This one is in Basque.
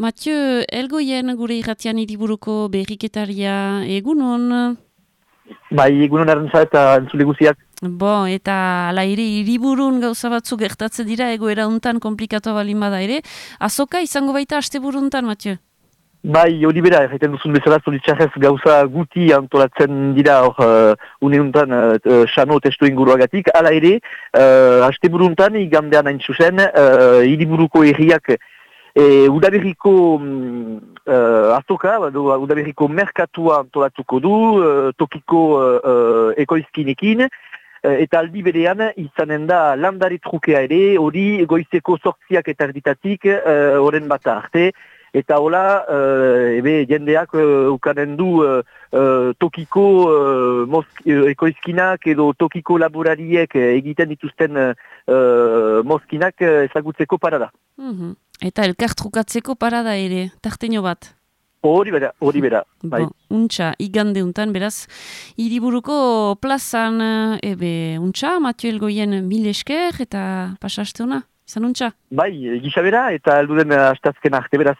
Mathieu, elgoien gure irratian hiriburuko berriketaria egunon. Bai, egunon arrantza eta entzule guziak. Eta ala ere hiriburun gauza batzuk gertatzen dira egoera untan komplikatu balin bada ere. Azoka izango baita asteburuntan, Mathieu? Bai, hori bera, egiten duzun bezala zoritxarrez gauza guti antolatzen dira hor uneuntan xano testu inguruagatik. Hala ere, asteburuntan igandean hain zuzen, hiriburuko herriak udaberriko azoka, udaberriko merkatua antolatuko du, tokiko ekoizkinekin, eta aldi berean izanen da landari trukea ere, hori goizeko 8 eta erditatik horren bata arte, eta hola, jendeak ukanen du tokiko ekoizkinak edo tokiko laborariek egiten dituzten mozkinak ezagutzeko parada. Eta elkar trukatzeko parada ere, tarteño bat. Hori bera, bai. Untxa, igande untan, beraz, hiriburuko plazan, untxa, Mathieu elgoien 1000 esker eta pasaste hona, izan untxa? Bai, gisa bera eta elduden astazken arte beraz.